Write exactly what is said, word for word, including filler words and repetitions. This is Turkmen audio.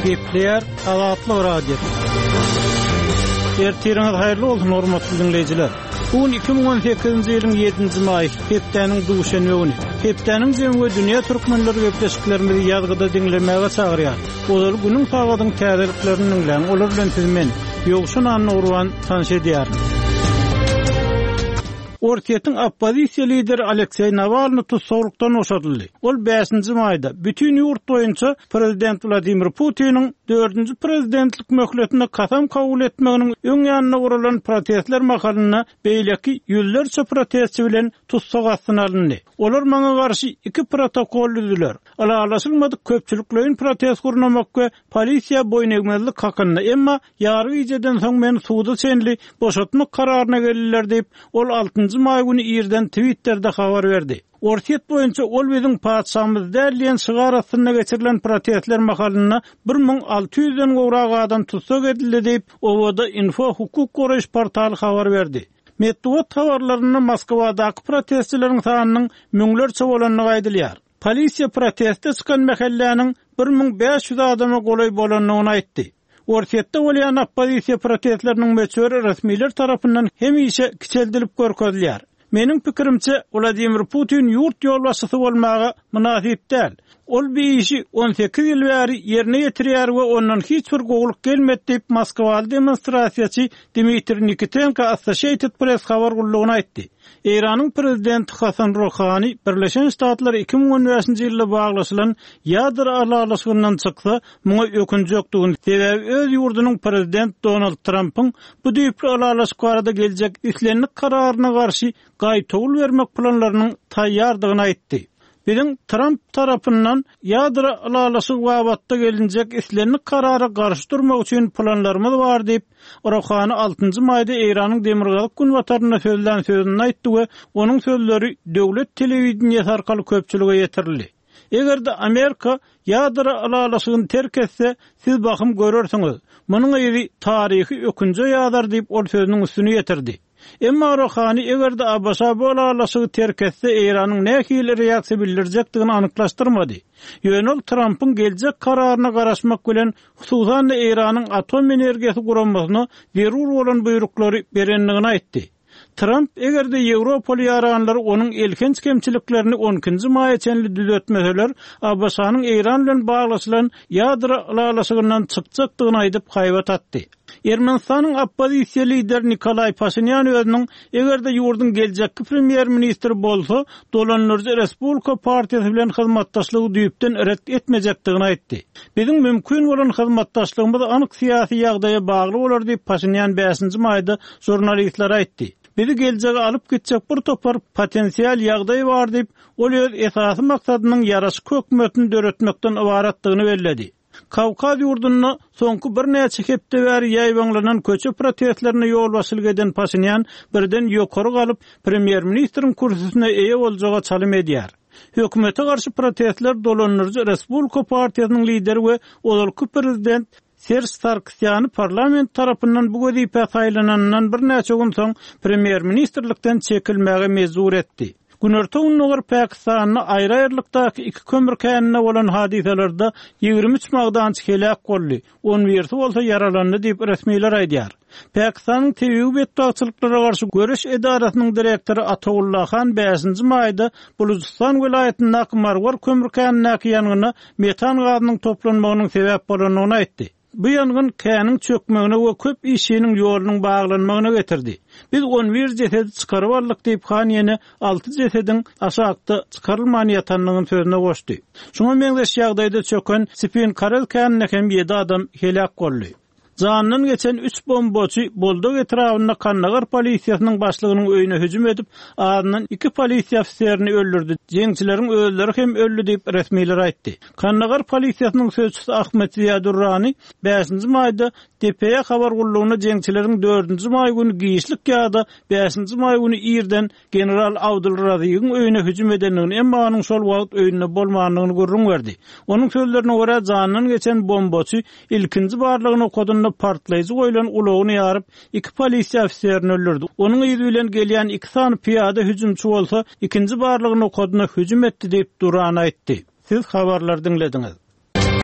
Gepleýär Azatlyk Radiosy. Ertiriňiz haýyrly bolsun, hormatly diňleýjiler. Bu gün iki müň on sekizinji ýylyň ýedinji maýy, hepdäniň duşenbe güni. Hepdäniň jemi we dünýä türkmenleri gepleşiklerimizi ýazgyda diňlemäge çagyrýar. Ozal günüň sagadyň täzeliklerini diňläň, olar bilen siz men, Ýowşan Annagurban tanyş edýärin. Orsýetiň oppozisiýa lideri Alekseý Nawalny tussaglykdan boşadyldy. Ol bäşinji maýda bütün ýurt boýunça prezident Wladimir Putiniň dördünji prezidentlik möhletine kasam kabul etmeginiň öň ýanynda guralan protestler mahalynda beýleki ýüzlerçe protestçi bilen tussag astyna alyndy. Olar maňa garşy iki protokol düzdüler. Ylalaşylmadyk köpçülikleýin protest gurnamak we polisiýa boýun egmezlik hakynda, emma ýarym gijeden soň men suda çenli boşatmak kararyna geldiler diýip, ol altynjy maý güni irden Twitter'de habar berdi. Orsýet boýunça ol biziň patyşamyz däl diýen şygar astynda geçirilen protestler mahalynda bir müň alty ýüzden gowrak adam tussag edildi diýip, Owada Info hukuk goraýyş portaly habar berdi. Metbugat habarlarynda Moskwadaky protestçileriň sanynyň müňlerçe bolandygy aýdylýar. Polisiýa proteste çykan mähelläniň bir müň bäş ýüz adama golaý bolandygyny aýtdy. Orsýetde bolýan oppozisiýa protestleriniň möçberi resmiler tarapyndan hemişe kiçeldilip görkezilýär. Meniň pikirimçe, Wladimir Putin ýurt ýolbaşçysy bolmaga mynasyp däl. Ol bir işi on sekiz ýyl bäri ýerine ýetirýär we ondan hiç bir gowulyk gelmedi diýip Moskwaly demonstrasiýaçy Dmitriý Nikitenko Associated Press habar gullugyna aýtdy. Eýranyň prezidenti Hasan Ruhani Birleşen Ştatlar iki müň on bäşinji ýylda baglaşylan ýadro ylalaşygyndan çyksa, muňa ökünjekdigini, sebäbi öz ýurdunyň prezident Donald Trumpyň bu düýpli ylalaşyk barada geljek islendik kararyna garşy gaýtawul bermek planlarynyň taýýardygyny aýtdy. Biziň Trump tarapyndan ýadro ylalaşygy babatda gelinjek islendik karara garşy durmak üçin planlarymyz bar diýip, Ruhani altynjy maýda Eýranyň demirgazyk günbatarynda sözlän sözüni aýtdy we onuň sözleri döwlet telewideniýesi arkaly köpçülige ýetirildi. Eger-de Amerika ýadro ylalaşygyny terk etse, siz bahym görersiňiz. Munuň yzy taryhy ökünje ýazar diýip ol sözüniň üstüni ýetirdi. Emma Ruhani eger-de A B Ş bu ylalaşygy terk etse, Eýranyň nähili reaksiýa bildirjekdigini anyklaşdyrmady. Ýöne ol Trumpyň geljek kararyna garaşmak bilen hususan-da Eýranyň atom energiýasy guramasyna zerur bolan buýruklary berendigini aýtdy. Trump eger-de Ýewropaly ýaranlar onuň elhenç kemçiliklerini on ikinji maýa çenli düzetmeseler, A B Ş-nyň Eýran bilen baglaşylan ýadro ylalaşygyndan çykjakdygyny aýdyp haýbat atdy. Ermenistanyň oppozisiýa lideri Nikolaý Paşinyan özüniň eger-de ýurduň geljekki premýer-ministri bolsa, dolandyryjy Respublika partiýasy bilen hyzmatdaşlygy düýpden ret etmejekdigini aýtdy. Biziň mümkin bolan hyzmatdaşlygymyz anyk syýasy ýagdaýa bagly bolar diýip Paşinyan bäşinji maýda žurnalistlere aýtdy. Bizi geljege alyp gitjek bir topar potensial ýagdaý bar diýip, ol öz esasy maksadynyň ýaraşyk hökümetini döretmekden ybaratdygyny belledi. Kawkaz ýurdunda soňky birnäçe hepde bäri ýaýbaňlanan köçe protestlerine ýolbaşçylyk eden Paşinyan birden ýokary galyp, premýer-ministriň kürsüsine eýe boljaga çalym edýär. Hökümete garşy protestler dolandyryjy Respublika partiýasynyň lideri we ozalky prezident Serj Sarkisýany parlament tarapyndan bu wezipä saýlananyndan birnäçe gün soň premýer-ministrlikden çekilmäge mejbur etdi. Günorta Gündogar Pakistanda aýry-aýrylykdaky iki kömür käninde bolan hadysalarda ýigrimi üç magdançy heläk boldy, on birisi bolsa ýaralandy diýip resmiler aýdýar. Pakistanyň tebigy betbagtçylyklara garşy göreş edarasynyň direktory Ataulla Han bäşinji maýda Bulujistan welaýatyndaky Marwar kömür känindäki ýangyna metan gazynyň toplanmagynyň sebäp bolandygyny aýtdy. Bu ýangyn käniň çökmegine we köp işçiniň ýolunyň baglanmagyna getirdi. Biz on bir jesedi çykaryp aldyk diýip Han ýene alty jesediň aşakda çykarylman ýatandygyny sözüne goşdy. Şuňa meňzeş ýagdaýda çöken Spin Karel käninde hem ýedi adam heläk boldy. Jandan geçen üç bombaçy Boldag etrabynda Kandagar polisiýasynyň başlygynyň öýüne hüjüm edip, azyndan iki polisiýa ofiserini öldürdi. Jeňçileriň özleri hem öldü diýip resmiler aýtdy. Kandagar polisiýasynyň sözçüsi Ahmet Ziya Durrani bäşinji maýda D P A habar gullugyna jeňçileriň dördünji maý güni giçlik ýa-da bäşinji maý güni irden General Abdul Razigiň öýüne hüjüm edendigini, emma onuň şol wagt öýünde bolmandygyny gürrüň berdi. Onuň sözlerine görä jandan geçen bombaçy ilkinji barlygyny okadynda partlaýjy goýlan ulagyny ýaryp, iki polisiýa ofiserini öldürdi. Onuň yzy bilen gelýän iki sany piýada hüjümçi bolsa, ikinji barlygyny okadynda hüjüm etdi diýip Duran aýtdy. Siz habarlar diňlediňiz.